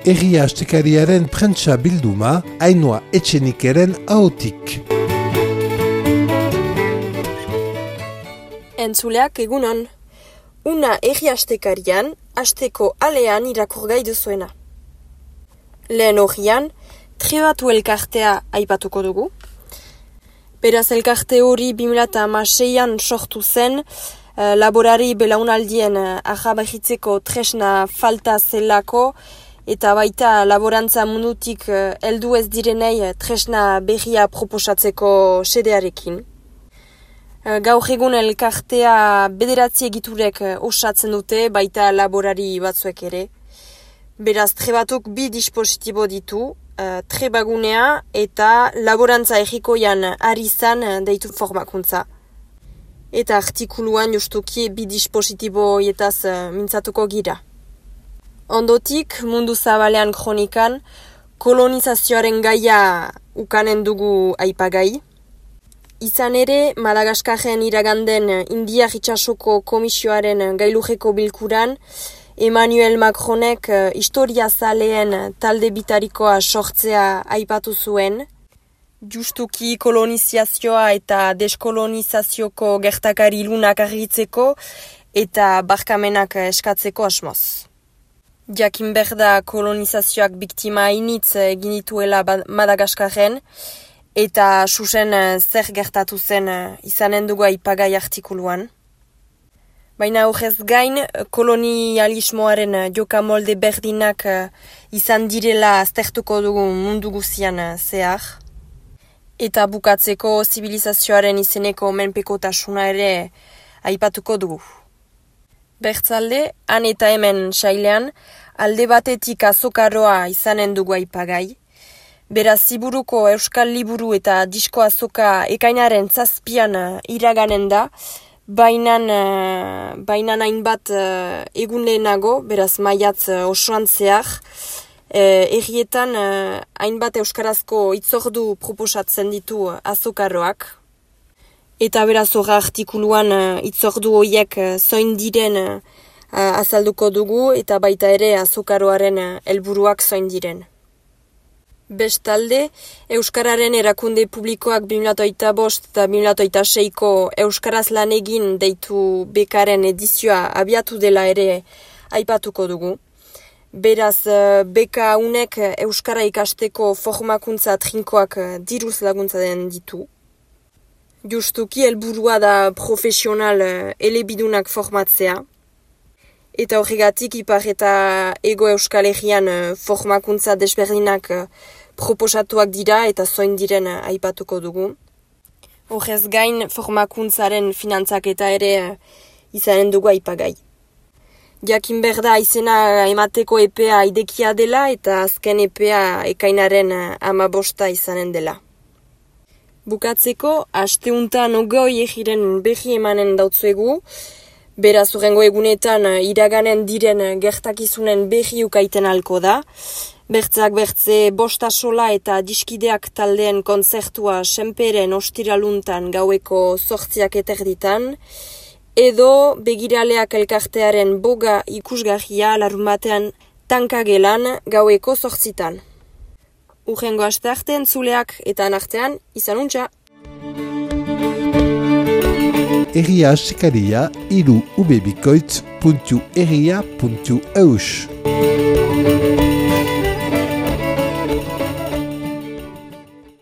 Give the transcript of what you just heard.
Egia astekariaren prentsa bilduma, Ainhoa Etxenikeren ahotik. Entzuleak egunon. Una egia astekarian, asteko alean irakur gai duzuena. Lehen horian, trebatu elkartea aipatuko dugu. Beraz elkarte hori 2006an sortu zen, laborari belaunaldien ahabahitzeko tresna falta zelako, eta baita laborantza mundutik heldu ez direnei tresna berria proposatzeko xedearekin. Gaur egun elkartea 9 egiturek osatzen dute, baita laborari batzuek ere. Beraz, trebatuk 2 dispositibo ditu, trebagunea eta laborantza egikoian ari izan deitu formakuntza. Eta artikuluan justuki 2 dispositibo etaz mintzatuko gira. Ondotik, mundu zabalean kronikan, kolonizazioaren gaia ukanen dugu aipagai. Izan ere, Madagaskarren iraganden Indiar Itsasoko Komisioaren gailurreko bilkuran, Emmanuel Macronek historia zaleen talde bitarikoa sortzea aipatu zuen, justuki kolonizazioa eta deskolonizazioko gertakari ilunak argitzeko eta barkamenak eskatzeko asmoz. Jakin berda kolonizazioak biktima hainitz egin dituela Madagaskarren, eta susen zer gertatu zen izanen dugu aipagai artikuluan. Baina horrez gain, kolonialismoaren jokamolde berdinak izan direla aztertuko dugu mundu guzian zehar. Eta bukatzeko zibilizazioaren izeneko menpekotasuna ere aipatuko dugu. Bertzalde, han eta hemen sailean, alde batetik azokaroa izanen dugu aipagai. Beraz, Ziburuko Euskal Liburu eta Disko Azoka ekainaren 7an iraganen da, bainan hainbat egun lehenago, beraz maiatz osoan zehar, errietan hainbat euskarazko hitzordu proposatzen ditu azokaroak. Eta beraz horra artikuluan hitzordu horiek zoin diren azalduko dugu eta baita ere azokaroaren helburuak zoin diren. Bestalde, Euskararen erakunde publikoak 2005 eta 2006ko Euskaraz lan egin deitu bekaren edizioa abiatu dela ere aipatuko dugu. Beraz, beka unek Euskara ikasteko formakuntza trinkoak diruz laguntzen ditu. Justuki helburua da profesional elebidunak formatzea. Eta horregatik Ipar eta Ego Euskal Herrian formakuntza desberdinak proposatuak dira eta zoin diren aipatuko dugu. Horrez gain formakuntzaren finantzaketa ere izanen dugu aipagai. Jakin berda izena emateko epea idekia dela eta azken epea ekainaren 15 izanen dela. Bukatzeko, asteuntan 20 egiren berri emanen dautzuegu, beraz hurrengo egunetan iraganen diren gertakizunen berri ukaiten halko da. Bertzak bertze Bostasola eta Diskideak taldeen kontzertua senperen ostiraluntan gaueko 8:00 edo Begiraleak elkartearen boga ikusgarria larunbatean Tankagelan gaueko 8:00. Hurrengo astearte entzuleak eta artean izan untxa. Egia astekaria 3ubebikoitz.egia.eus